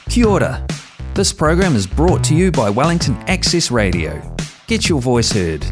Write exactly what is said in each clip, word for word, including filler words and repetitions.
Kia ora. This program is brought to you by Wellington Access Radio. Get your voice heard.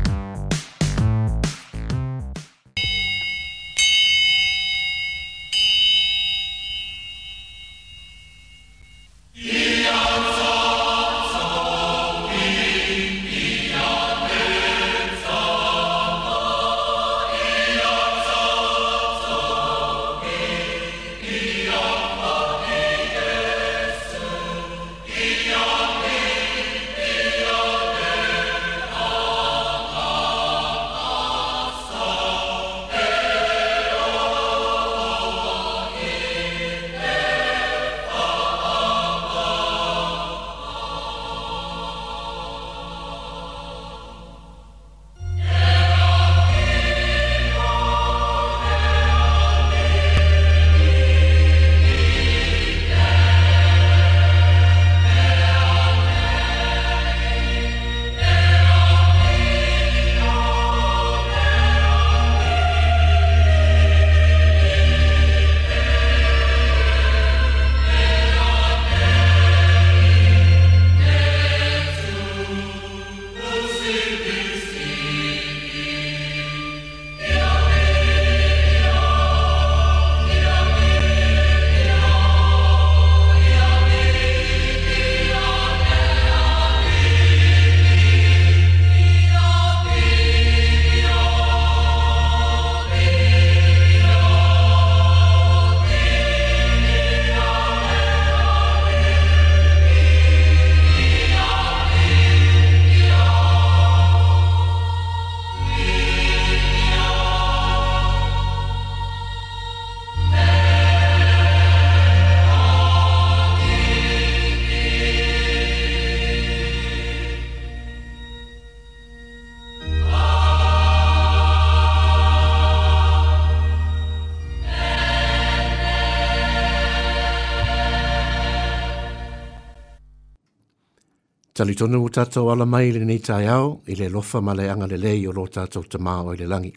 Talitonu o tātou ala mai le nei tai au, i le lofa ma le anga le lei o lo tātou te mao i le langi.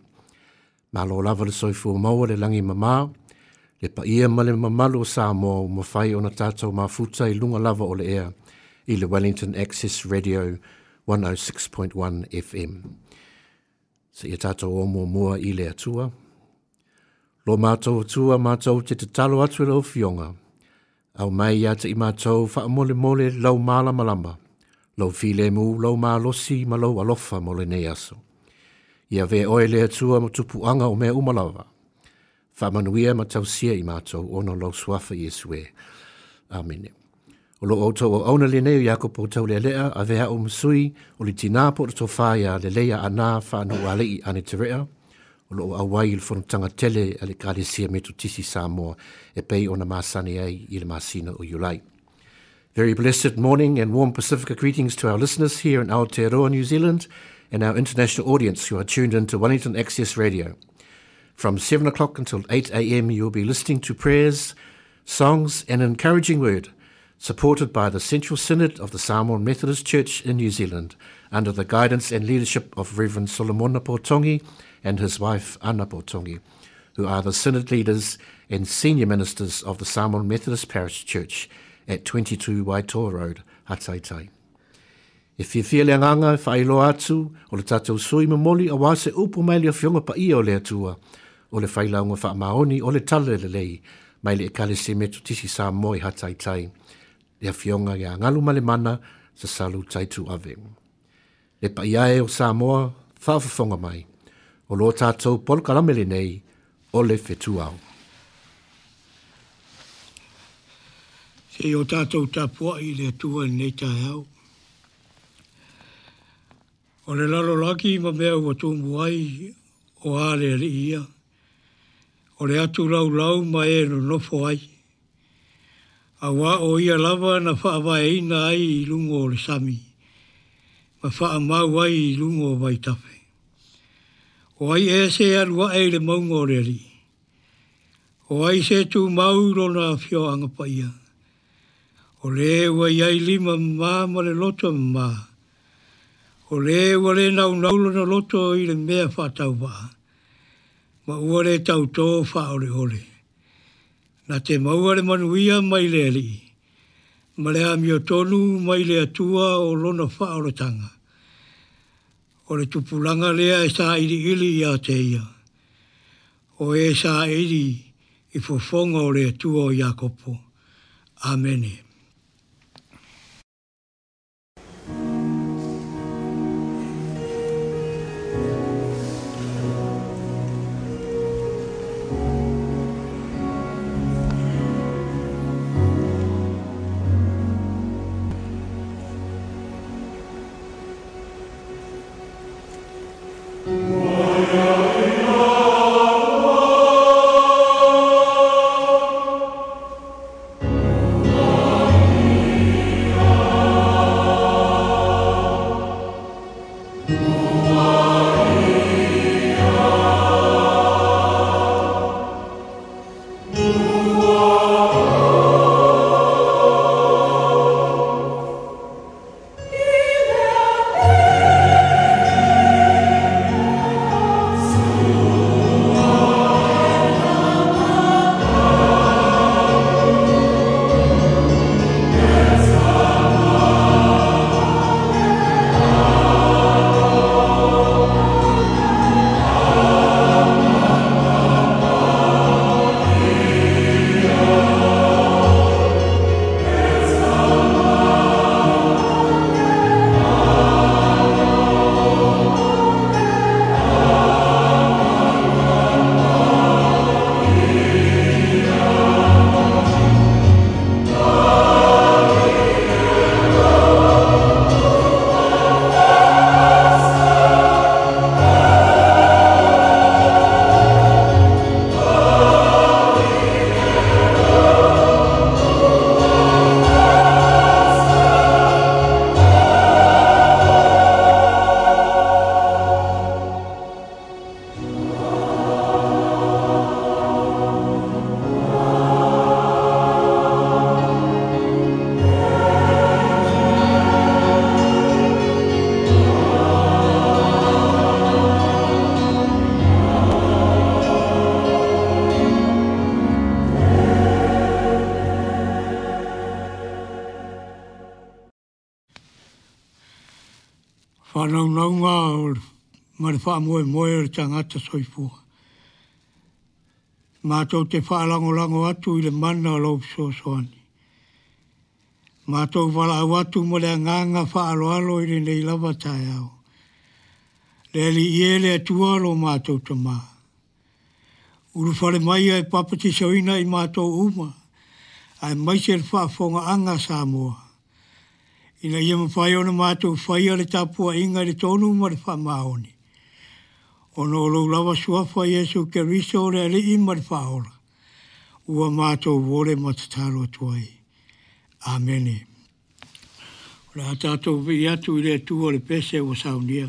Malo lava le soifua maua le langi mamao, le paia ma le mamalu o Samoa o mawhai o na tātou mafuta i lunga lava o le ea i le Wellington Access Radio one oh six point one F M. Se ia tātou o mua mua i le atua. Lo mātou atua mātou te te talo atu e lau fionga. Au mai ia te i mātou whaamole mole lau mālamalama. Lau file mu, lau mālosi, ma lau alofa mo le nei aso. Ia ve oe le atua mo tupu anga o mea umalava. Whaamanuia ma tausia i mātou, ono lau suafa Iesu e. Amene. O lo autou o auna le nei o Iakopo tau le lea, a vea o masui, o le tina po to whaia le leia ana whaanu alei ane te rea. O lo o awai il fonotanga tele a le Kalesia Metotisi Samoa e pei ona masani ai i le masina o Iulai. Very blessed morning and warm Pacifica greetings to our listeners here in Aotearoa, New Zealand, and our international audience who are tuned in to Wellington Access Radio. From seven o'clock until eight a m you will be listening to prayers, songs and encouraging word, supported by the Central Synod of the Samoan Methodist Church in New Zealand, under the guidance and leadership of Reverend Solomona Potongi and his wife Anna Potongi, who are the Synod leaders and senior ministers of the Samoan Methodist Parish Church at twenty-two Waitoa Road, Hataitai. E whiawhia le anganga e whaeloa atu o le tātou sui mamoli a wā se upu mai le whionga pa ia o le atua, o le whailaunga wha maoni o le tala le lei, mai le Ekalesia Metotisi Samoa i Hataitai, le whionga ia ngalu male mana sa salu taitu ave. Le paiae o Samoa, whaawhafonga mai, o lo tātou polokalame le nei, o le whetuao. Se o tātou tapua i le atua nei taeao. O le lalo laki ma mea ua tūmu ai o a le ali ia. O le atu lau lau ma e no nofo ai. A wā o ia lava na whaavaeina ai i lungo o le sami. Ma whaamau ai i lungo o vaitafe. O ai e se alua e le maunga o le ali. O ai se tū mau rona whio anga paia. O le ua iai lima mā ma le loto mā. O le ua le nau naulo na loto i le mea whātau waa. Ma ua le tautō wha ole ole. Na te maua le manuia mai le ali. Ma le amiotonu mai le Atua o lona faaolataga. O le tupulaga lea e sailiili ia te ia. O e saili i fofoga o le Atua o Iakopo. Amene. Whanaungaunga ma le faamoemoe o le tagata soifua. Mātou te whaalangolago atu i le mana o lou fesoasoani. Mātou valaau atu ma le agaga faaaloalo i lenei lava taeao. Le Alii e le Atua lo mātou tamā. Ulufale mai e papatisoina i mātou uma, aemaise le faafogaaga Samoa. Ina ia mafai ona mātou faia le tapuaiga i le tonu ma le faamaoni. Ona o lou lava suafa Iesu Keriso o le Alii ma le Faaola. Ua mātou vole ma tatalo atu ai. Amene. O le a tatou vii atu i le Atua o le pese ua saunia.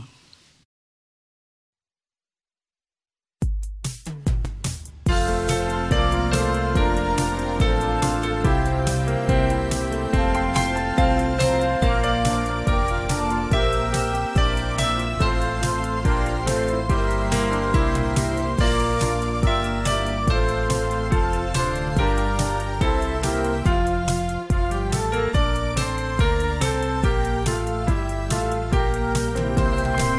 Thank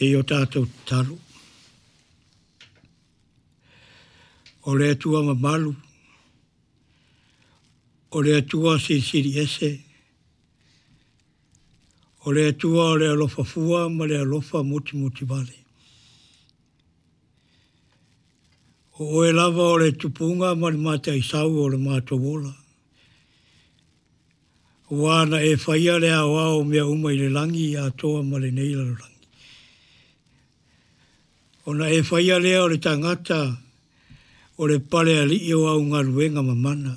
Se i o tātou tatalo. O le Atua mamalu, o le Atua silisili ese, o le Atua o le alofa fua ma le alofa mutimutivale. O oe lava o le tupuga ma le mataisau o le matou ola. Ua na e faia le aoao o mea uma i le lagi atoa ma lenei lalolagi. Ona e faia lea o le tagata o le pale alii o au galuega mamana.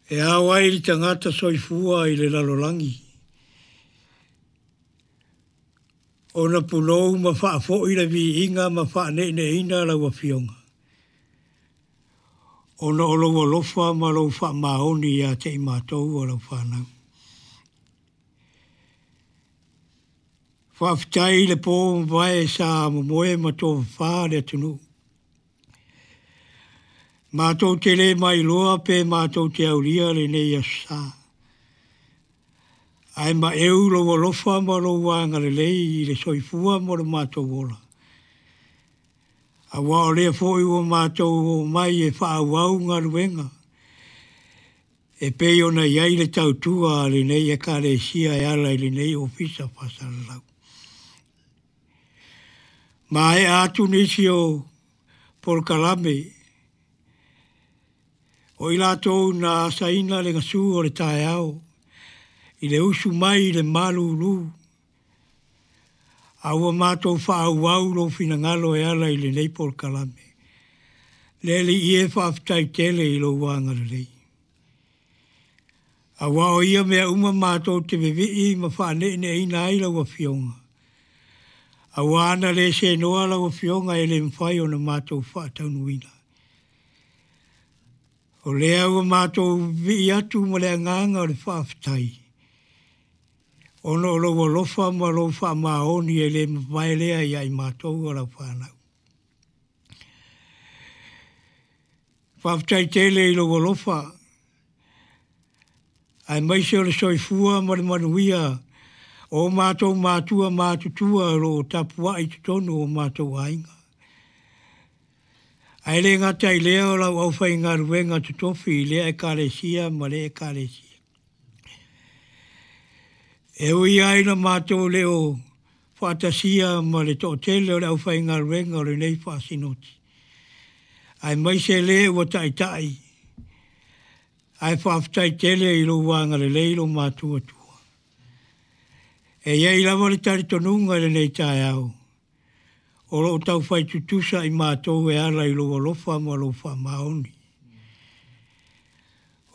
E ao ai le tagata soifua i le lalolagi. Ona punou ma faafoi le viiga ma faaneeneina lau afioga. Ona o lou alofa ma lou faamaoni ia te i matou o lau fanau. Faafetai i le po mavae sa momoe ma tofafa le atunuu. Matou te le mailoa pe matou te aulia lenei aso sa. Ae maeu lou alofa ma lou agalelei i le soifua mo le matou ola. Aua o lea foi ua matou omai e faaauau galuega e pei ona i ai le tautua a lenei ekalesia e ala i lenei ofisa faasalalau. Maea atu nisi o polokalame o i latou na asaina le gasu o le taeao i le usu mai i le malulu, a ua matou faaauau lou finagalo e ala i lenei polokalame. Le Alii e faafetai tele i lou agalelei. Aua o ia mea uma matou te vevii ma faaneeneeina ai lau afioga. Aua ana le senoa lau afioga e le mafai ona matou faataunuina. O lea ua matou vivii atu ma le agaga o le faafetai. Ona o lou alofa ma lou faamaoni e le mavae lea ia i matou o lau fanau. Faafetai tele i lou alofa, aemaise o le soifua ma le manuia o matou matua matutua o loo tapuai i totonu o matou aiga. Ae le gata i lea o lau aufaigaluega totofi i lea ekalesia ma lea ekalesia. E ui ai na matou le o faatasia ma le toatele o le aufaigaluega o lenei faasinoti. Aemaise le ua taitai, ae faafetai tele i lou agalelei lou matuatua. E iai lava le talitonuga i lenei taeao, o loo taufai tutusa i matou e ala i lou alofa ma lou faamaoni.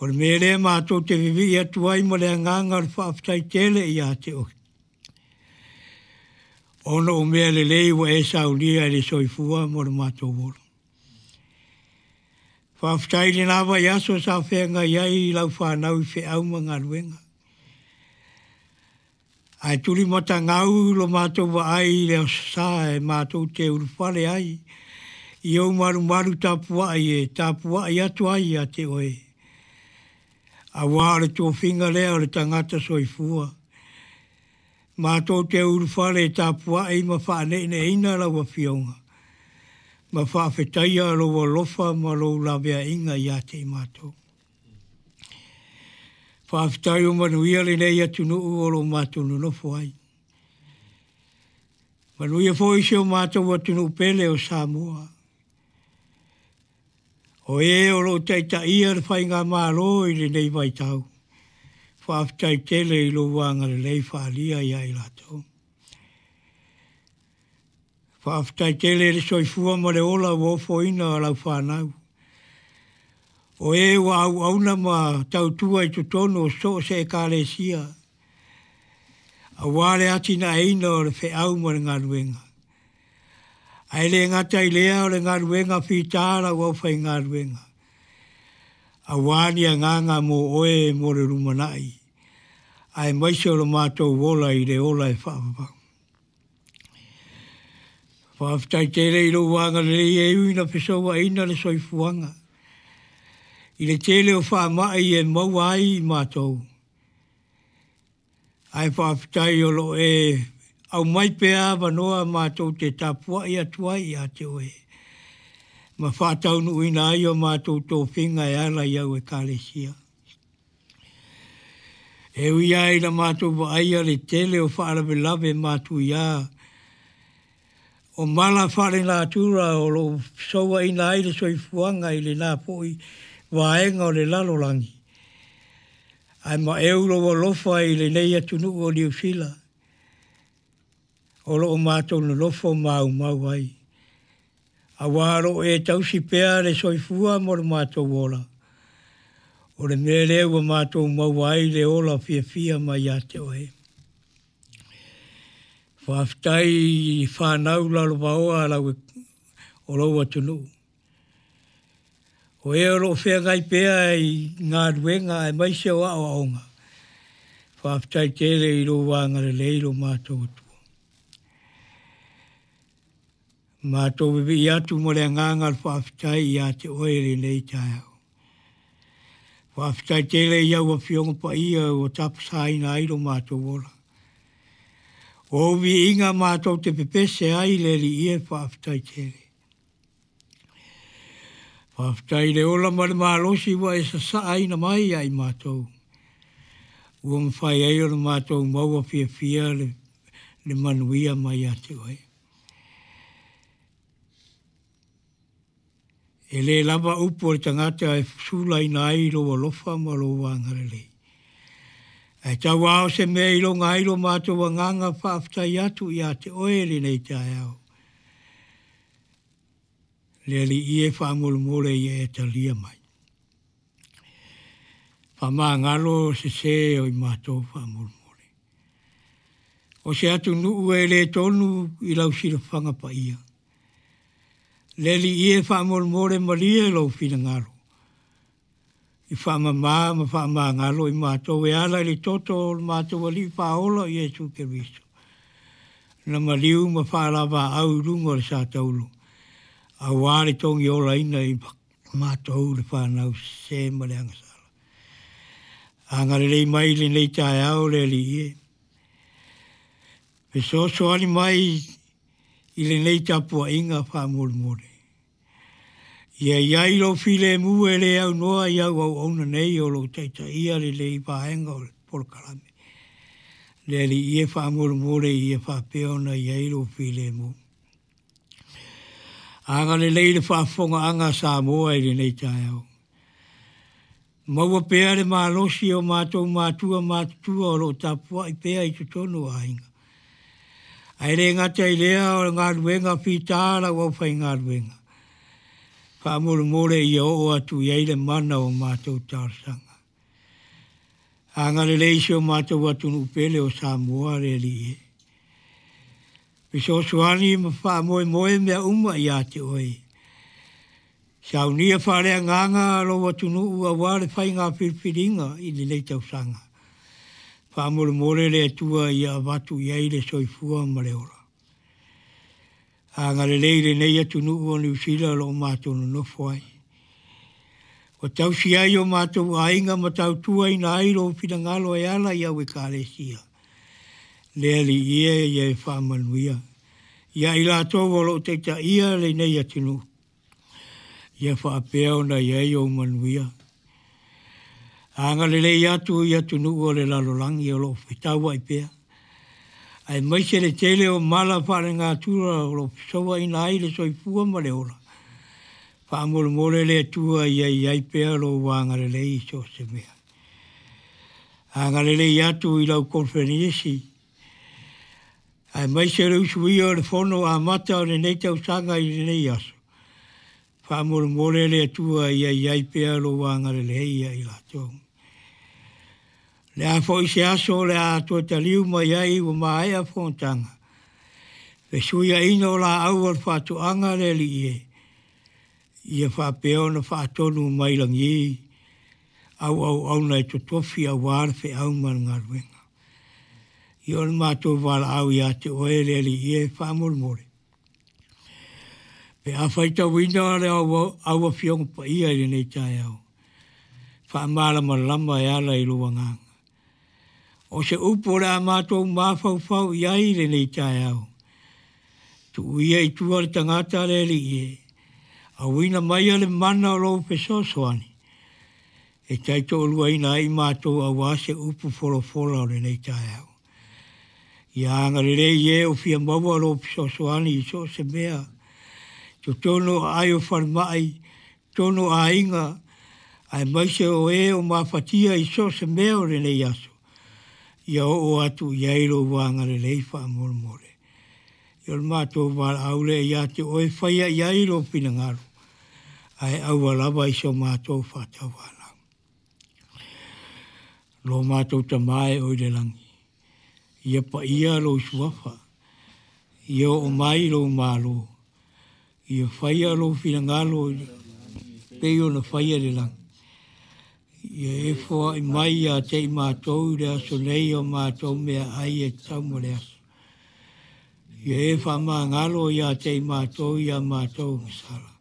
O le mea lea matou te vivii atu ai ma le agaga o le faafetai tele ia te oe. Ona o mea lelei ua e saunia i le soifua mo le matou ola. Faafetai i lena vaiaso sa feagai ai lau fanau i feau ma galuega. Ae tulimatagau lo matou vaai i le aso sa e matou te ulufale ai i ou malumalu tapuai e tapuai atu ai ia te oe. Aua o le tofiga lea o le tagata soifua. Matou te ulufale e tapuai ma faaneeneeina lau afioga ma faafetaia lou alofa ma lou laveaiga ia te i matou. Faafetai o manuia lenei atunuu o lo matou nonofo ai. Manuia foi si o matou atunuu pele o Samoa. O e o loo taitaia le faigamalo i lenei vaitau. Faafetai tele i lou agalelei faaalia ia i latou. Faafetai tele i le soifua ma le ola ua ofoina o lau fanau. O e ua auauna ma tautua i totonu o so o se ekalesia. Aua le atinaeina o le feau ma le galuega. Ae le gata i lea o le galuega fita lau aufaigaluega. Aua ni agaga mo oe mo le lumanai. Aemaise o lo matou ola i le ola e faavavau. Faafetai tele i lou agalelei e ui ina fesouaina le soifuaga. I le tele o faamai e maua ai i matou. Ae faafetai o loo e aumai pea avanoa matou te tapuai atu ai ia te oe ma faataunuuina ai o matou tofiga e ala i au ekalesia. E ui lava ina matou vaaia le tele o faalavelave matuia o mala faalenatura o loo fesouaina ai le soifuaga i lena foi vaega o le lalolagi, ae maeu lou alofa i lenei atunuu o Niu Sila o loo matou nonofo maumau ai, auā o loo e tausi pea le soifua mo le matou ola. O le mea lea ua matou maua ai le ola fiafia mai ia te oe. Faafetai i fanau lalovaoa a lau o lou atunuu. O e o loo feagai pea i galuega aemaise o aoaoga. Faafetai tele i lou agalelei lo matou Atua. Matou vivii atu ma le agaga o le faafetai ia te oe i lenei taeao. Faafetai tele i au afioga paia ua tapasaina ai lo matou ola. O ou viiga matou te pepese ai le Alii e, faafetai tele. Faafetai i le ola ma le malosi ua e sasaaina mai ia i matou. Ua mafai ai ona matou maua fiafia le, le manuia mai ia te oe. E le lava upu o le tagata e sulaina ai lou alofa ma lou agalelei. Ae tauao se mea e iloga ai lo matou agaga faafetai atu ia te oe lenei taeao. Le Alii e, faamolemole ia e talia mai. Faamagalo sesē o i matou faamolemole. O se atunuu e le tonu i lau silafaga paia. Le Alii e, faamolemole malie lou finagalo i faamamā ma faamagalo i matou e ala i le toto o le matou Alii Faaola o Iesu Keriso, na maliu ma faalavaau i luga o le satauro, auā le togiolaina i matou le fanau sesē ma le agasala. Agalelei mai i lenei taeao le Alii e. Fesoasoani mai i lenei tapuaiga faamolemole. Ia i ai lou filemu e le aunoa i au auauna nei o loo taitaia lenei vaega o le polokalame. Le Alii e, faamolemole ia faapea ona i ai lou filemu. Agalelei le faafofogaaga a Samoa i lenei taeao. Maua pea le malosi o matou matua matutua o loo tapuai pea i totonu o aiga. Ae le gata i lea o le galuega fita a lau aufaigaluega. Faamolemole ia oo atu i ai le mana o matou talosaga. Agalelei si o matou atunuu pele o Samoa le Alii e. Fesoasoani ma faamoemoe mea uma ia te oe. Saunia faaleagaga lou atunuu auā le faiga filifiliga i lenei tausaga. Faamolemole le Atua ia avatu i ai le soifua ma le ola. Agalelei lenei atunuu o Niu Sila o loo matou nonofo ai. Ua tausi ai o matou aiga ma tautuaina ai lou finagalo e ala i au ekalesia. Le Alii e, ia e faamanuia ia i latou o loo taitaia lenei atunuu. Ia faapea ona i ai ou manuia. Agalelei atu i atunuu o le lalolagi o loo fetauai pea, aemaise le tele o mala faalenatura o loo fesouaina ai le soifua ma le ola. Faamolemole le Atua ia i ai pea lou agalelei i so o se mea. Agalelei atu i lau konferenisi, aemaise le usuia o le fono amata o lenei tausaga i lenei aso. Faamolemole le Atua ia i ai pea lou agalelei ia i latou. Le a foi se aso o le a toe taliu mai ai ua maea fonotaga. Fesuiaiga o laau o le faatoaga le Alii e, ia faapea ona faatonu mai lagi auauauna e totofi auā le feau ma le galuega. Ia o le matou valaau ia te oe le Alii e, faamolemole. Pe a faitauina le au, au afioga paia i lenei taeao, faamalamalama e ala i lou agaga. O se upu o le a mātou mafaufau i ai lenei taeao. Tuuia i tua le tagata le Alii e, auina maia le mana o lou fesoasoani, e taitoaluaina ai mātou auā se upu folafola o lenei taeao. Ia agalelei e o fia maua lou fesoasoani i so o se mea, totonu o aai o falemai, totonu o aiga, aemaise o e o mafatia i so o se mea o lenei aso. Ia oo atu i ai lou agalelei faamolemole. Ia o le matou valaau lea ia te oe faia i ai lou finagalo, ae aua lava i so matou faatauanau. Lo matou Tamā e oi le lagi, ia paia lou suafa, ia oo mai lou malo, ia faia lou finagalo pei ona faia i le lagi. Ia e foai mai ia te i mātou i le aso nei o mātou meaai e tatau mo le aso. Ia e faamagalo ia te i mātou ia mātou gasala.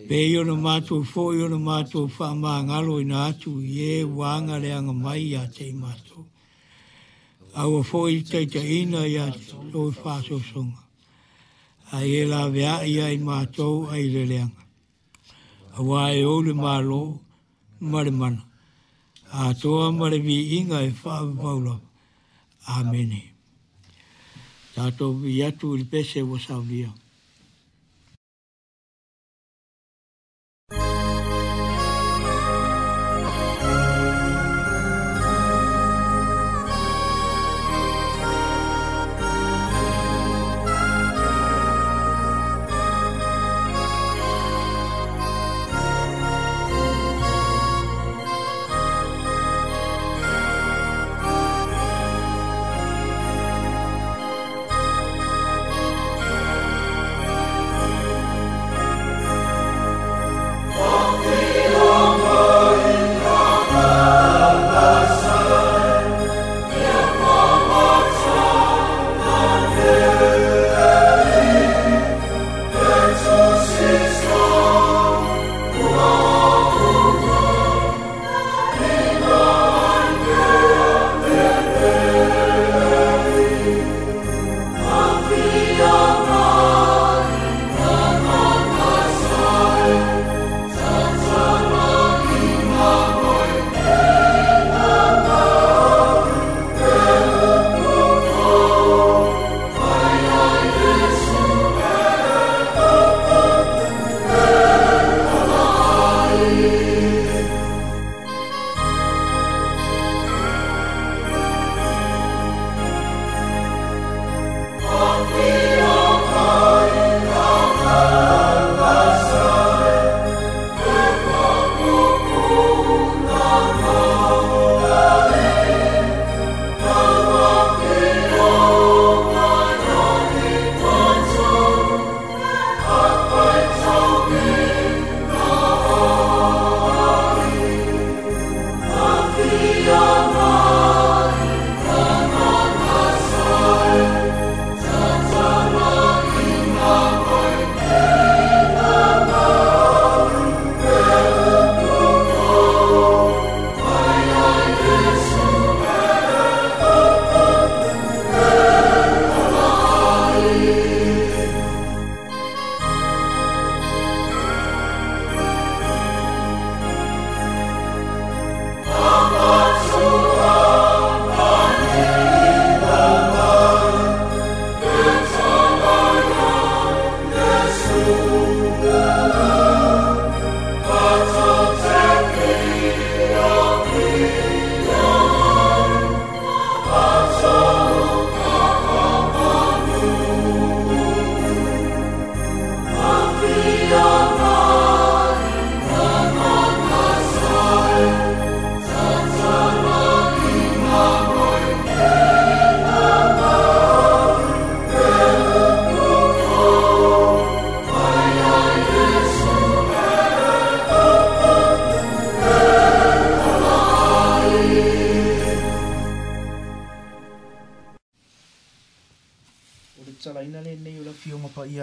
Pei ona mātou foi ona mātou faamagalo ina atu i e ua agaleaga mai ia te i mātou. Aua foi taitaiina ia tou faasoasoga. Ae e laveai ia i mātou ai le leaga. Auā e ou le malo ma le mana, atoa ma le viiga e faavavau lava. Amene. Tatou vii atu i le pese ua saunia.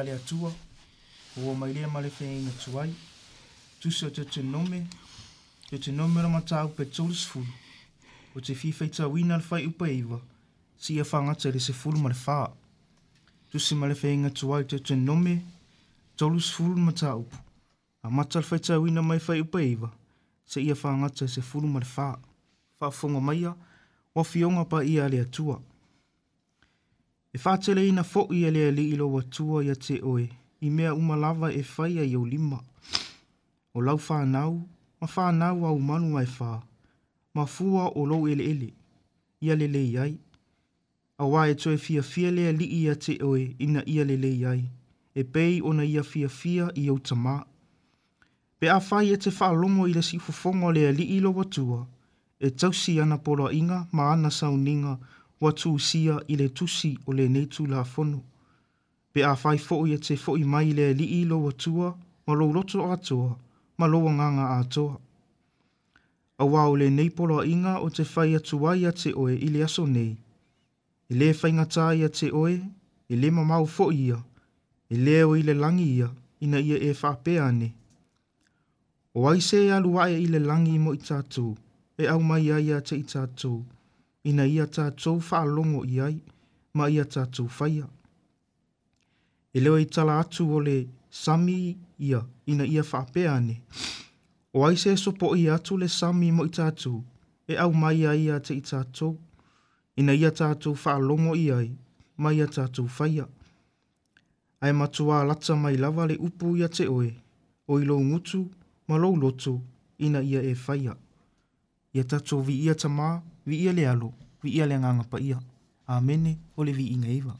Atua, ua mai lea ma le feaina tuai, tusi o Deuteronome, Deuteronome o le mataupu e tolusefulu, Ou te fia faitauina le fuaiupu e iva, seia fagata i le sefulu ma le fā. Tusi ma le Feaiga Tuai Teutenome, tolu sefulu mataupu. Amata le faitauina mai fuaiupu e iva, seia fagata i le sefulu ma le fā. Faafofoga maia, o afioga paia a le Atua. E faateleina foʻi e le Alii lou Atua ia te oe, i mea uma lava e faia i ou lima. O lau fanau, ma fanau au manu e fā, ma fua o lou eleele, ia lelei ai. Auā e toe fiafia le Alii ia te oe ina ia lelei ai, e pei ona ia fiafia i ou tamā. Pe afai e te faalogo i le siufofoga o le Alii lou Atua, e tausi ana poloaiga ma ana sauniga ua tusia i le tusi o lenei Tulafono. Pe afai foʻi e te foʻi mai i le Alii lou Atua ma lou loto atoa ma lou agaga atoa. Auā o lenei poloaiga ou te fai atu ai ia te oe i le aso nei. E lē faigatā ia te oe, e lē mamao foʻi ia, e lē o i le lagi ia, ina ia e faapea ane. O ai se e alu aʻe i le lagi mo i tatou, e aumai ai ia te i tatou, ina ia tatou faalogo i ai, ma ia tatou faia. E le o i tala atu o le sami ia, ina ia faapea ane. O ai se e sopoia atu le sami mo i tatou, e aumai ai ia te i tatou, ina ia tatou faalogo i ai, ma ia tatou faia. Ae matuā lata mai lava le upu ia te oe, o i lou gutu ma lou loto, ina ia e faia. Ia tatou viia Tamā, viia le Alo, viia le Agaga Paia. Amene, o le viiga e iva.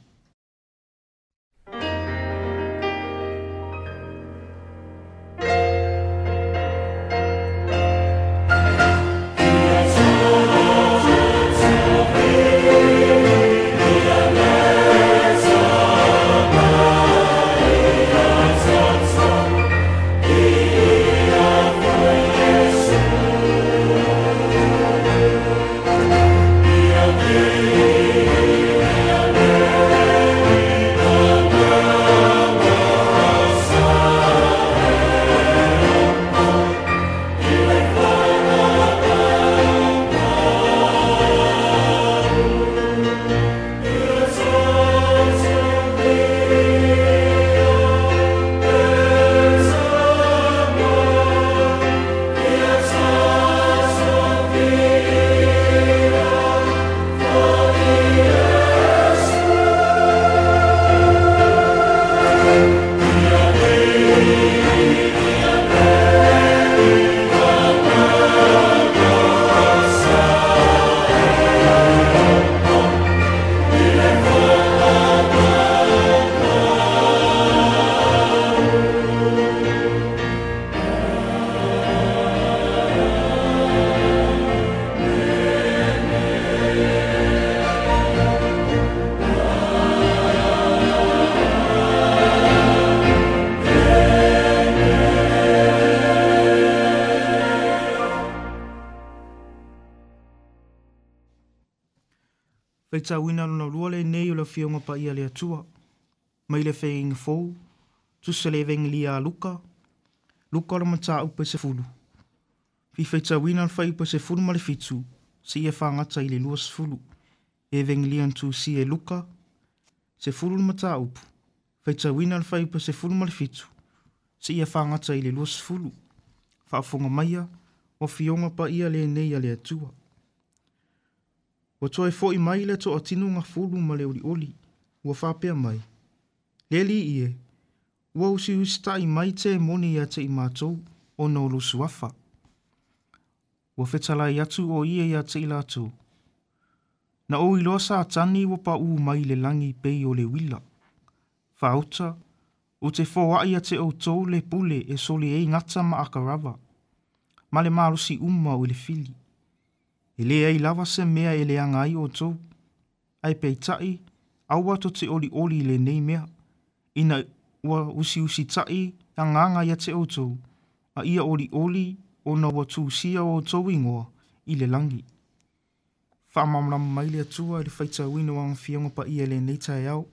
Faitauina lona lua lenei o le Afioga Paia a le Atua, mai le Feaiga Fou, tusi o le Evegelia a Luka, Luka o le mataupu e sefulu. Fifaitauina le fuaiupu e sefulu ma le fitu, seia fagata i le lua sefulu. Evegelia na tusia e Luka, sefulu le mataupu. Faitauina le fuaiupu e sefulu ma le fitu, seia fagata i le lua sefulu. Faafofoga maia, o Afioga Paia lenei a le Atua. Ua toe foʻi mai le toatino gafulu ma le olioli, ua faapea mai. Le Alii e, ua usiusitaʻi mai temoni ia te i matou, ona o lou suafa. Ua fetalai atu o ia ia te i latou. Na ou iloa Satani ua paʻū mai i le lagi pei o le uila. Faauta, ou te foaʻi ia te outou le pule e soli ai gata ma akarava, ma le malosi uma o i le fili. E leai lava se mea e leaga ai outou. Ae peitaʻi, aua tou te olioli i lenei mea, ina ua usiusitaʻi agaga ia te outou, a ia olioli ona ua tusia outou igoa i le lagi. Faamalamalama mai le Atua i le faitauina o ana Afioga Paia i lenei taeao,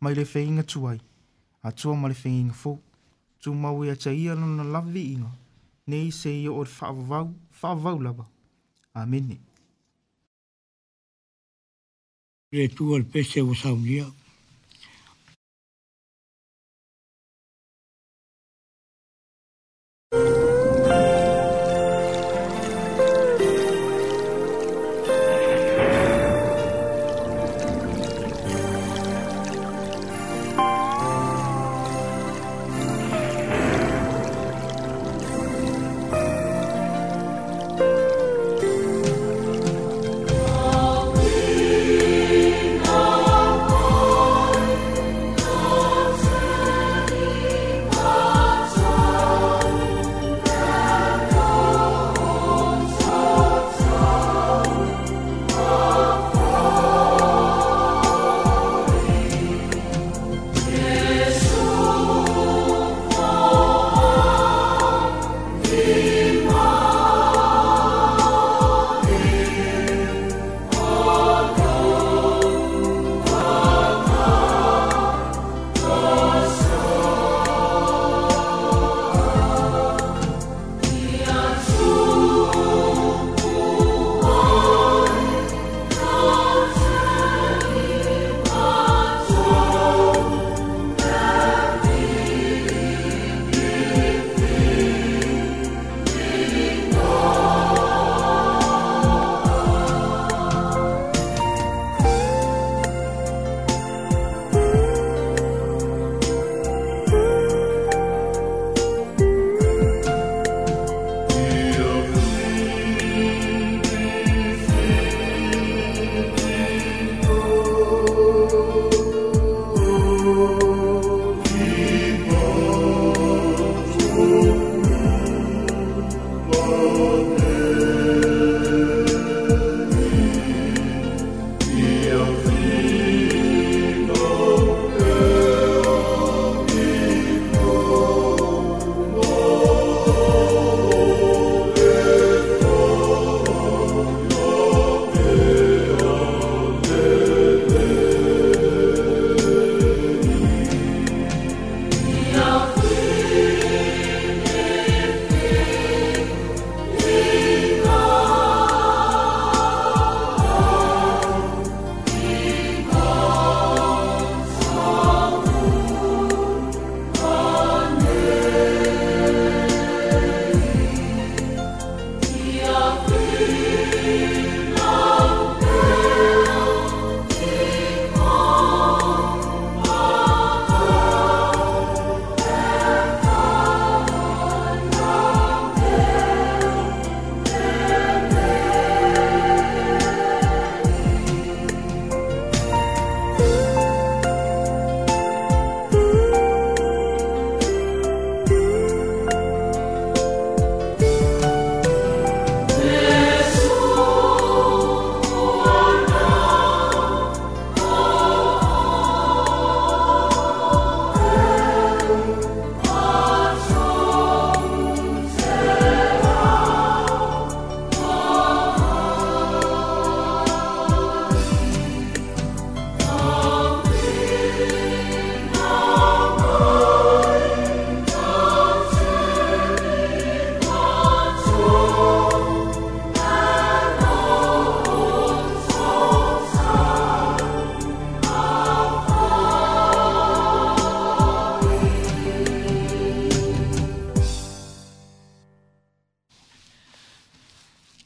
mai le Feaiga Tuai, Atua ma le Feaiga Fou. Tumau ia te ia lona lava viiga, nei seia oo i le faavavau, faavavau lava. Amene. Le Atua le pese ua saunia.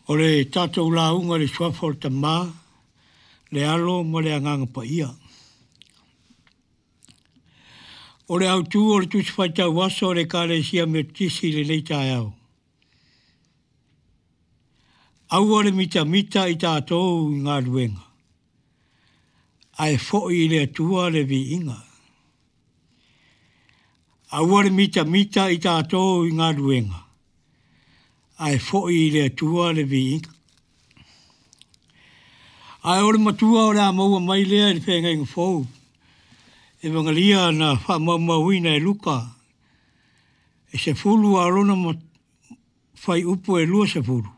O le tātou launga le suafa o le tamā, le alo ma le agaga paia. O le autū o le Tusi Faitau Aso o le Ekalesia Metotisi i lenei taeao. Aua le mitamita i tātou i galuega, ae fo'i i le Atua le viiga. Aua le mitamita i tātou i galuega, ae fo'i i le Atua le viiga. Ae o le matua o le a maua mai lea i le feagaiga fou, Evangelia na faamaumauina e Luka, e sefulu a lona faiupu e lua sefulu,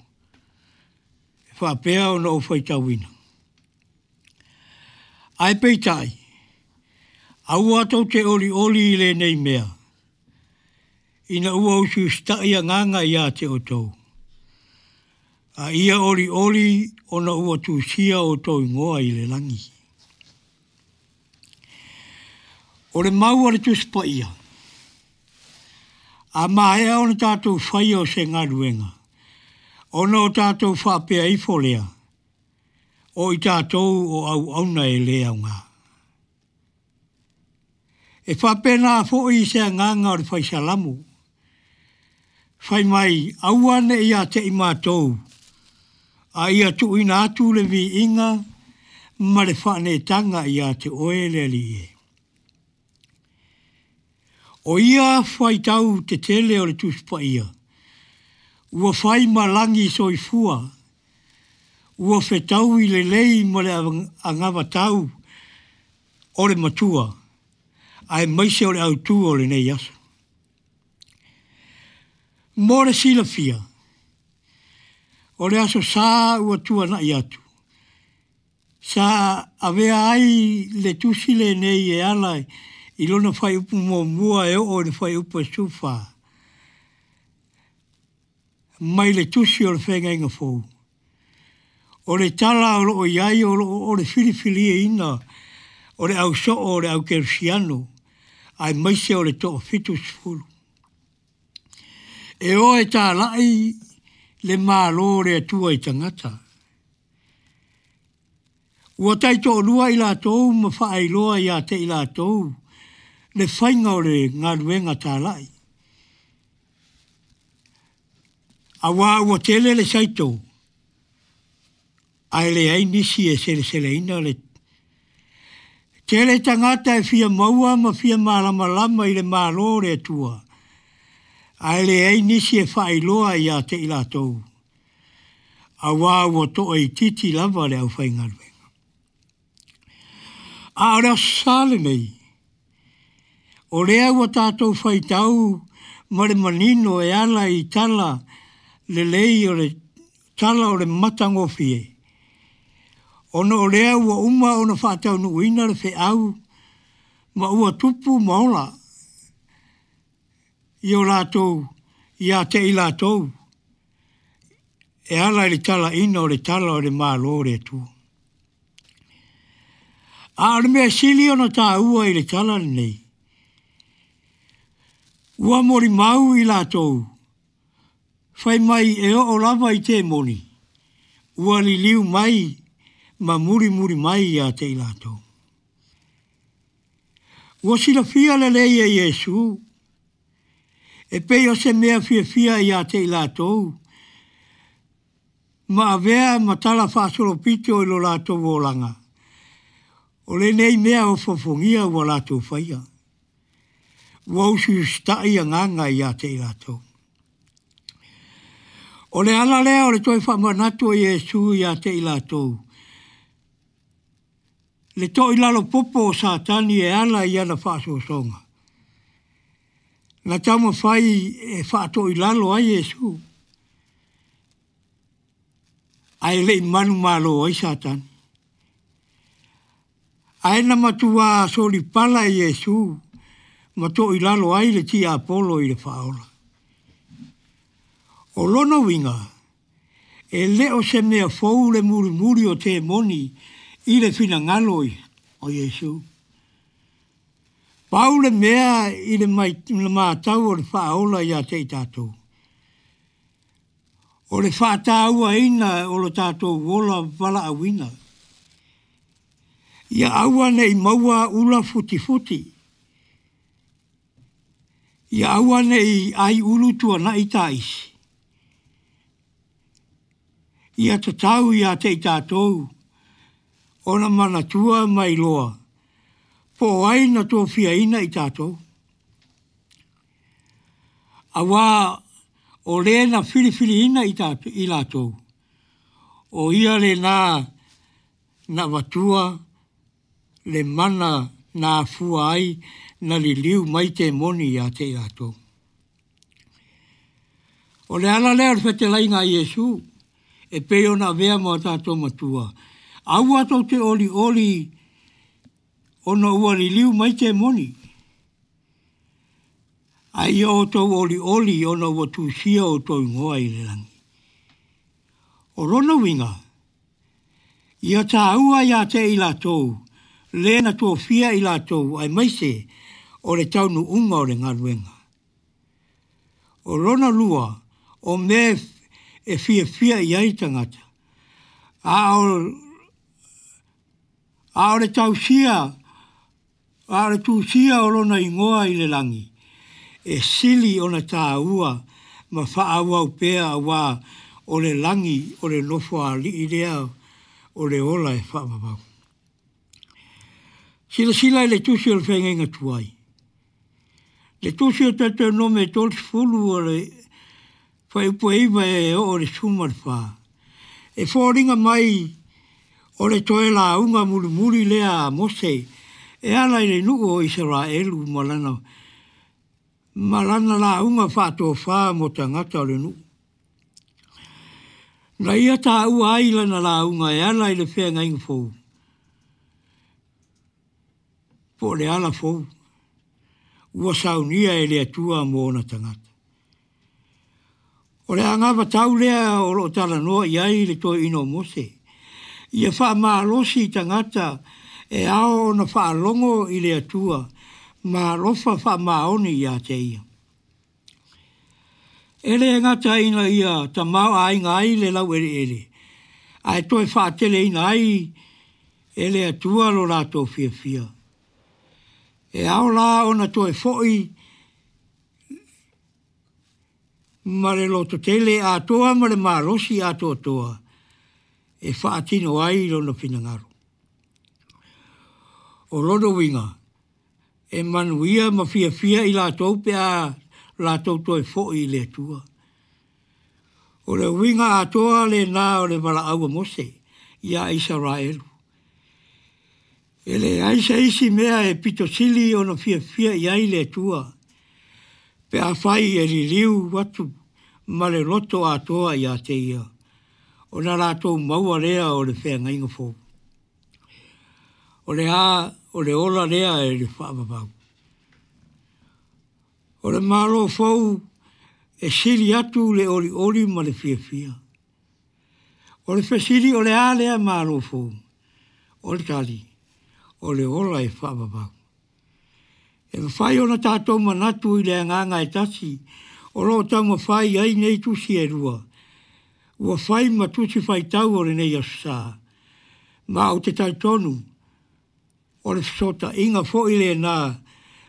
e faapea ona ou faitauina. Ae peitai, aua tou te olioli i lenei mea, ina ua usiusita'i agaga ia te outou. A ia olioli ona ua tusia outou igoa i le lagi. O le mau a le Tusi Paia, a maea ona tatou faia o se galuega, ona o tatou faapea ifo lea, o i tatou o auauna e le aoga. E faapena foi se agaga o le fai Salamo, fai mai, aua ne i ia te i matou, a ia tuuina atu le viiga ma le faaneetaga ia te oe le Alii e. O ia faitau tetele o le Tusi Paia, ua fai ma lagi soifua, ua fetaui lelei ma le agavatau o le matua, aemaise o le autū o lenei aso. Mo le silafia, o le aso Sa ua tuanai atu, sa avea ai le tusi lenei e ala i lona fuaiupu muamua e oo i le fuaiupu e sefulufa, mai le tusi o le Feagaiga Fou. O le tala o loo i ai o loo o le filifiliina o le au soo o le au kerisiano, aemaise o le toafitusefulu. E o e talai le Malo o le Atua i tagata. Ua taitoalua i latou ma faailoa ia te i latou le faiga o le galuega talai. Auā ua tele le saito, ae leai nisi e seleseleina le tele tagata e fia maua ma fia malamalama i le Malo o le Atua, ae leai nisi e faailoa ia te i latou. Auā ua toaitiiti lava le aufaigaluega. A o le Aso Sa lenei, o lea ua tatou faitau ma le manino e ala i tala lelei o le tala o le matagofie, ona o lea ua uma ona faataunuuina le feau ma ua tupu ma ola i o latou ia te i latou e ala i le talaina o le tala o le Malo o le Atua. A o le mea sili ona tāua i le tala lenei, ua molimau i latou, fai mai e oo lava i temoni, ua liliu mai ma mulimuli mai ia te i latou. Ua silafia lelei e Iesu, e pei o se mea fiafia ia te i latou, ma avea ma tala faasolopito i lo latou olaga, o lenei mea ofofogia ua latou faia. Ua usiusitai agaga ia te i latou. O le ala lea o le toe faamanatu o Iesu ia te i latou, le toilalo popo o Satani e ala i ana faasoasoga. Na taumafai e faatoilalo ai Iesu, ae le i manumalo ai Satani. Ae na matua solipala e Iesu ma toilalo ai le tiapolo i le faaola. O lona uiga, e le o se mea fou le mulimuli o temoni i le finagalo o Iesu. Pau le mea i le matau o le faaola ia te i tatou, o le faatauaina o lo tatou ola valaauina. Ia aua nei maua ula futifuti. Ia aua nei ai ulu tuanai taisi. Ia tatau ia te i tatou, ona manatua mai loa, po o ai na tofiaina i tatou. Auā o le na filifiliina i tatou, i latou, o ia lena na avatua le mana na afua ai na liliu mai temoni ia te i latou. O le ala lea o le fetalaiga a Iesu, e pei ona avea ma o tatou matua, aua tou te olioli ona ua liliu mai temoni, ae ia outou olioli ona ua tusia outou igoa i le lagi. O lona uiga, ia tāua ia te i latou, le na tofia i latou, aemaise O le taunuuga o le galuega. O lona lua, o mea e fiafia i ai tagata. A o, a o le tausia, a o le tusia o lona igoa i le lagi, e sili ona tāua ma faaauau pea auā o le lagi o le nofoalii lea o le ola e faavavau. Silasila i le tusi o le feagaiga tuai. Le tusi o Teuteronome e tolusefulu o le fuaiupu e iva e oo i le sefulu ma le fa. E foliga mai o le toe lauga mulimuli lea a Mose e ala i le nuu o Isaraelu ma lana ma lana lauga faatofā mo tagata o le nuu. Na ia taua ai lana lauga e ala i le feagaiga fou. Po o le ala fou. Ua saunia e le Atua mo ona tagata. O le agavatau lea o loo talanoa i ai le toeaina o Mose. Ia faamalosi i tagata e ao ona faalogo i le Atua ma alofa faamaoni ia te ia. E le gata ina ia tamaoaiga ai le laueleele, ae toe faateleina ai e le Atua lo latou fiafia. E ao la ona toe foi ma le lototele atoa ma le malosi atoatoa e faatino ai lona finagalo. O lona uiga, e manuia ma fiafia i latou pe a latou toe foi i le Atua. O le uiga atoa lena o le valaau a Mose iā Isaraelu. E leai se isi mea e pito sili ona fiafia i ai le Atua pe afai e liliu atu ma le loto atoa ia te ia, ona latou maua lea o le feagaiga fou. O le a, o le ola lea e le faavavau. O le Malo fou e sili atu le olioli ma le fiafia. O le fesili o le a lea Malo fou? O le tali, o le ola e faavavau. E mafai ona tatou manatu i le agaga e tasi o loo taumafai ai nei tusi e lua. Ua fai ma tusi faitau o lenei aso sa. Ma ou te talitonu o le fesootaiga foi lena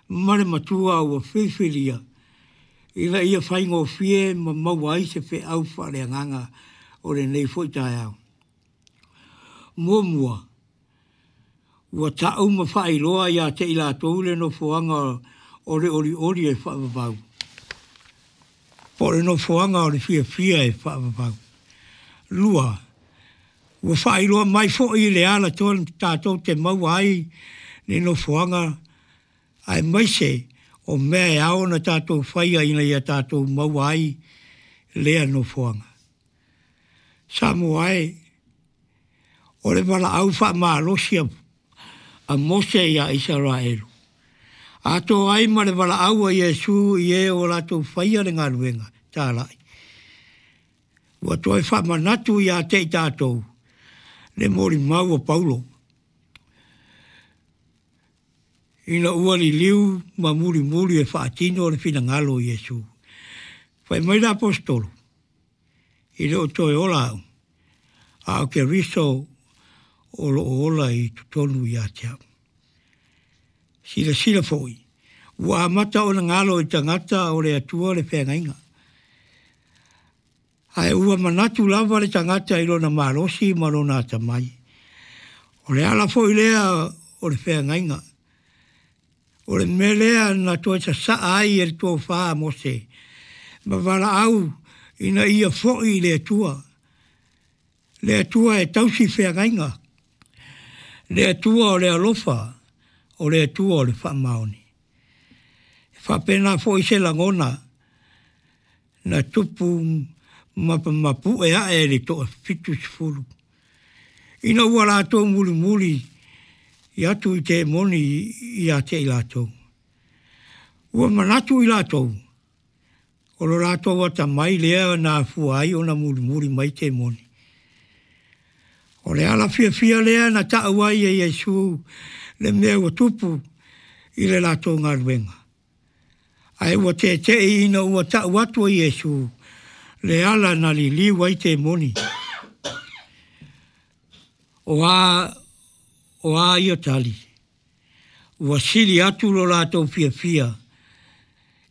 ma le Matua ua filifilia ina ia faigofie ma maua ai se feau faaleagaga o lenei foi taeao. Muamua, ua tau ma faailoa ia te i latou le nofoaga o le olioli e faavavau. Po o le nofoaga o le fiafia e faavavau. Lua, ua faailoa mai foi le ala tonu tatou te maua ai le nofoaga aemaise o mea e ao ona tatou faia ina ia tatou maua ai lea nofoaga. Samoa e, o le valaau faamalosi a Mose iā Isaraelu. Atoa ai ma le valaau a Iesu i e ua latou faia le galuega talai. Ua toe faamanatu ia te i tatou le molimau a Paulo. Ina ua liliu ma mulimuli e faatino le finagalo o Iesu. Fai mai le aposetolo, e le o toe ola au, a o Keriso o loo ola i totonu ia te au. Silasila foi, ua amata ona galo i tagata o le Atua le feagaiga. Ae ua manatu lava le tagata i lona malosi ma lona atamai. O le ala foi lea o le feagaiga. O le mea lea na toe sasaa ai e le tofa a Mose ma valaau ina ia foi i le Atua. Le Atua e tausi feagaiga. Le Atua o le alofa, o le Atua o le faamaoni. E faapena foi se lagona na tupu ma mapue ae le toafitusefulu. Ina ua latou mulimuli i atu i temoni ia te i latou. Ua manatu i latou, o lo latou atamai lea na afua ai ona mulimuli mai temoni. O le ala fiafia lea na tau ai e Iesu le mea ua tupu i le latou galuega. Ae ua tete'i ina ua ta'u atu e Iesu le ala na liliu ai temoni. O a, o a ia tali, ua sili atu lo latou fiafia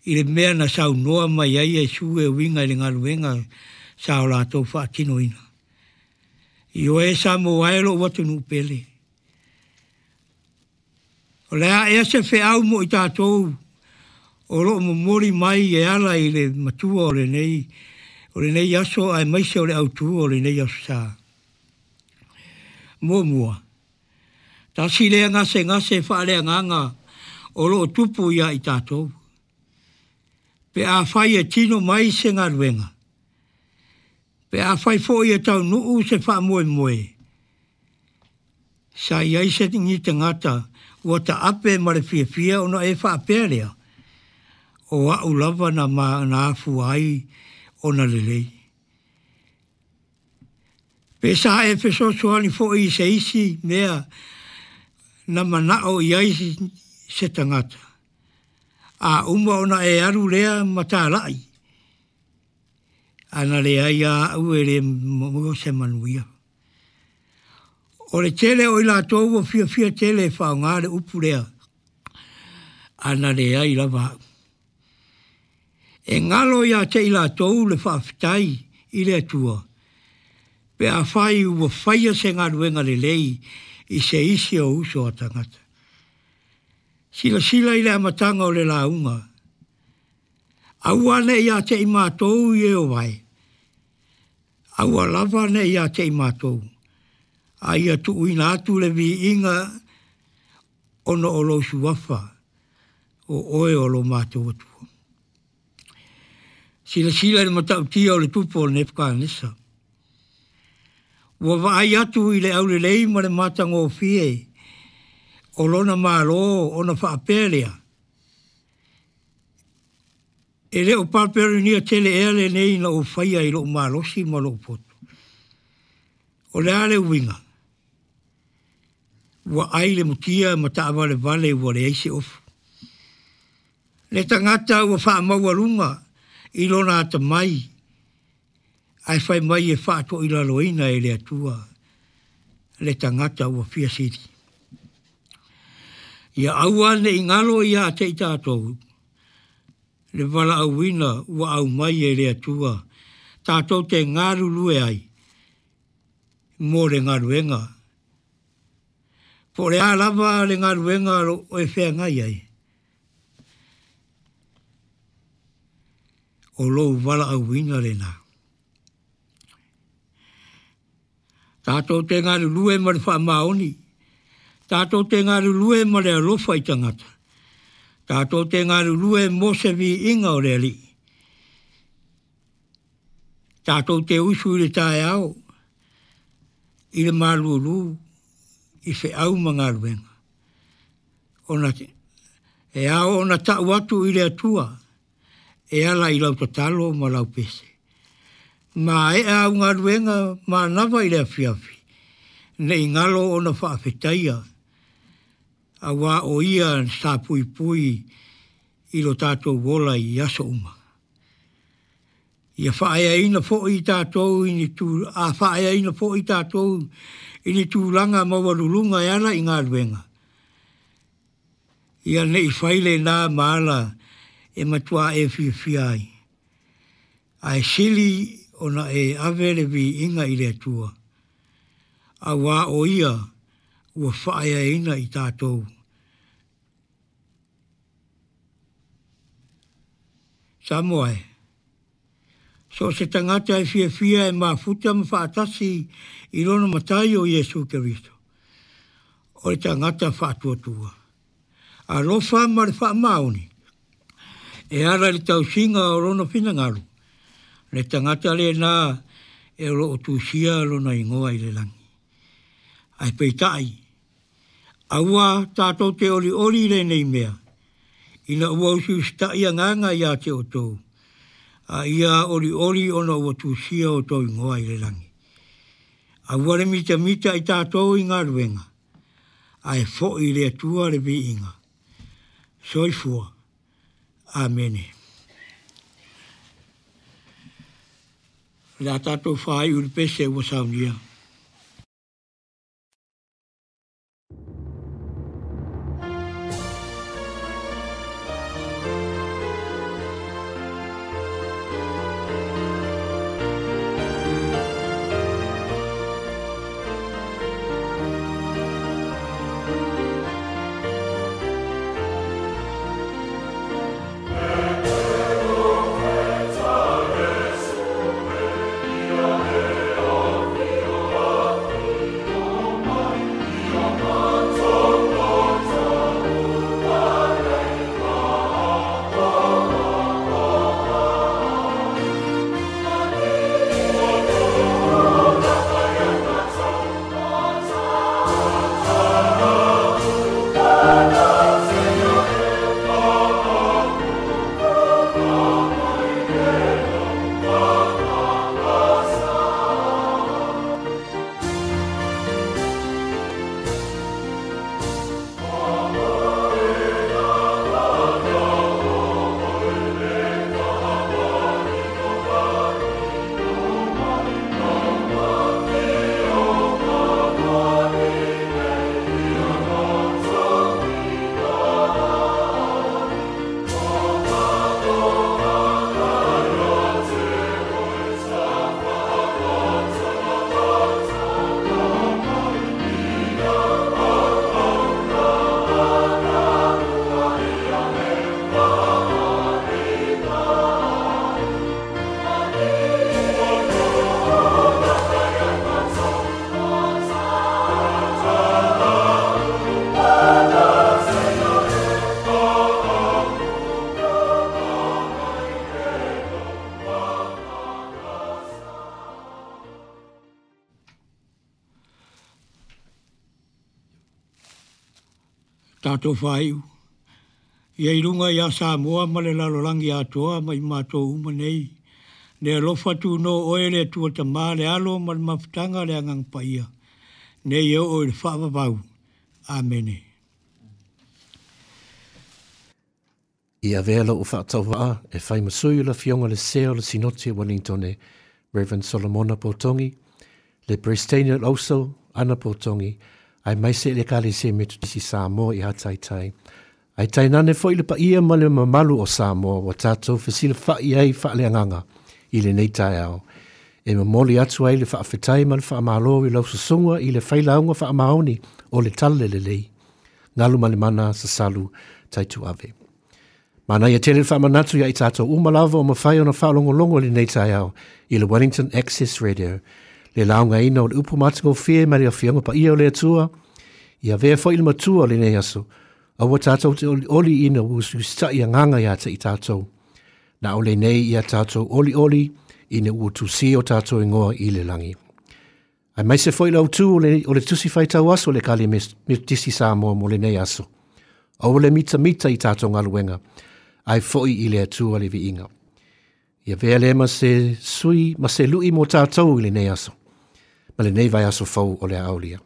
i le mea na saunoa mai ai Iesu e uiga i le galuega sa o latou faatinoina. Ioe Samoa e lo'u atunuu pele. O le a ea se feau mo i tatou o loo momoli mai e ala i le matua o lenei o lenei aso aemaise o le autū o lenei aso sa. Muamua, tasi lea gasegase faaleagaga o loo tupu ia i tatou. Pe afai e tino mai se galuega, pe afai foi e taunuu se faamoemoe, sa i ai se ni tagata ua taape ma le fiafia ona e faapea lea, o a'u lava na ma na afua ai ona lelei. Pe sa e fesoasoani foi i se isi mea na mana'o i ai se tagata. A uma ona e alu lea ma tala'i, ana leai a a'u e lē maua se manuia. O le tele o i latou ua fiafia tele e faaaogā le upu lea, ana leai lava a'u. E galo iā te i latou le faafetai i le Atua, pe afai ua faia se galuega lelei i se isi o uso a tagata. Silasila i le amataga o le lauga. Aua ne'i ia te i matou i e o vae. Aua lava ne'i ia te i matou. A ia tuuina atu le viiga ona o lou suafa o oe o lo matou Atua. Silasila i le matautia o le tupu o Nepukanesa. Ua vaai atu i le aulelei ma le matagofie o lona Malo ona faapea lea. E le o Papelonia tele ea lenei na ou faia i lou malosi ma lou poto. O le a le uiga? Ua ai le mutia ma taavalevale ua leai se ofu. Le tagata ua faamaualuga i lona atamai, ae fai mai e faatoilaloina e le Atua le tagata ua fia sili. Ia aua ne'i galo ia te i tatou le valaauina ua aumai e le Atua tatou te galulue ai mo le galuega. Po o le a lava le galuega o e feagai ai, o lou valaauina lena. Tatou te galulue ma le faamaoni, tatou te galulue ma le alofa i tagata, tatou te galulue mo se viiga o le Alii. Tatou te usu i le taeao, i le malūlū, i feau ma galuega. Ona e ao ona ta'u atu i le Atua, e ala i lau tatalo ma lau pese. Maea au galuega manava i le afiafi, ne'i galo ona faafetaia, auā o ia sa puipui i lo tatou ola i aso uma. Ia faaeaina foi tatou i ni tu, a faaeaina foi tatou i ni tulaga maualuluga e ala i galuega. Ia ne'i fai lenā ma ala e matuā e fiafia ai. Ae sili ona e ave le viiga i le Atua, auā o ia ua faaeaina i tatou. Samoa e, so o se tagata e fiafia e mafuta ma faatasi i lona Matai o Iesu Keriso, o le tagata faatuatua. Alofa ma le faamaoni, e ala i le tausiga o lona finagalo, le tagata lenā e o loo tusia lona igoa i le lagi. Ae peitai, aua tatou te olioli i lenei mea, ina ua usiusita'i agaga iā te outou, a ia olioli ona ua tusia outou igoa i le lagi. Aua le mitamita i tatou i galuega, ae fo'i i le Atua le viiga. Soifua. Amene. Le a tātou whai uri pese ua saunia. Tātou whaiu. Ia i runga ia Samoa ma le lalolangi atoa ma i mātou uma nei. Le alofa tu no oe le tua tamā le alo ma le mafutanga le angang paia. Nei e o i le whaavavau. Amene. I avea lau whaatauaa e whai masui o la fionga le seo le sinoti Wellingtone, Reverend Solomona Potongi, le Prestania Lauso, Ana Potongi, ai mai se le kale se Metodisi Samoa i Hataitai. Ai tainane foi le paia ma le mamalu o Samoa wa tātou fesila whai ai whaaleanganga i le nei taeao. E mamoli atu ai le whaafetai ma le whaamalo i lau susunga i le whailaunga whaamaoni o le tala le lei. Ngalu ma le mana sasalu taitu ave. Mana ia tele whaamanatu ia i tātou umalava o mawhai ona whaalongolongo le nei taeao i le Wellington Access Radio. Le launga ina o le upu matingo fie ma le awhianga pa ia o le atua, ia vea fo i le matua le nei aso, aua tātou te oli, oli ina ustai anganga ia te i tātou. Na ole nei ia tātou oli oli ina ua tusi o tātou ingoa i le langi. Ai mai se foi lau tū o le, o le tusi whaitau aso le kale Metodisi Samoa mo le nei aso. Aua le mita mita i tātou ngaluenga, ai foi i le atua le viinga. Ia vea le ma se sui, ma se lui mo tātou i le nei aso. Ma le nei vai aso fau o le aulia.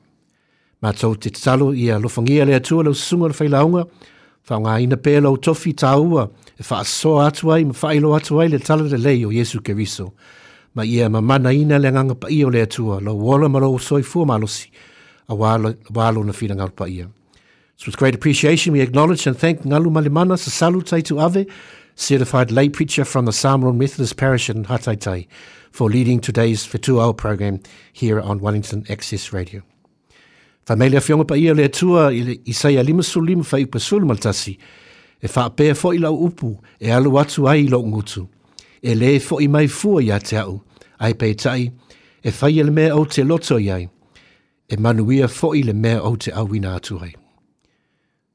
Mātou te tatalo ia lofangia le atua lau susunga le whailaunga, whaonga ina pē lau tofi tāua e whaasoa atu ai ma whailo atu ai le tala le lei o Yesu Keriso. Ma ia mamana ina le nganga pa ia o le atua, lau ola ma lau soifua malosi, a walo na whina ngau pa ia. So with great appreciation we acknowledge and thank Ngalu Malimana Sasalu Taitu Ave, certified lay preacher from the Samoan Methodist Parish in Hataitai, for leading today's Fetuao program here on Wellington Access Radio. Whameile whionga pa ia le atua i le Isaia lima sulima whai upasulu maltasi, e whaapea fo i lau upu e alu atu ai i lau ngutu, e le fo i mai fua ia te au, ai peitai, e whai le mea o te loto iai, e manuia fo i le mea o te awina atu ai.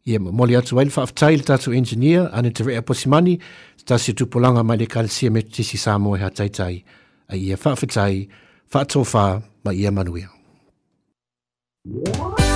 Ia moli atu ai le whaaftai le tātou engineer, ane te rea posimani, tasi tupolanga mai le kalesia Metodisi Samoa e Hataitai, ai ia whaafetai, whaatōwha ma ia manuia. Oh,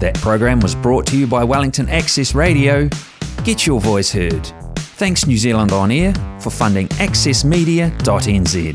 That program was brought to you by Wellington Access Radio. Get your voice heard. Thanks New Zealand On Air for funding access media dot n z.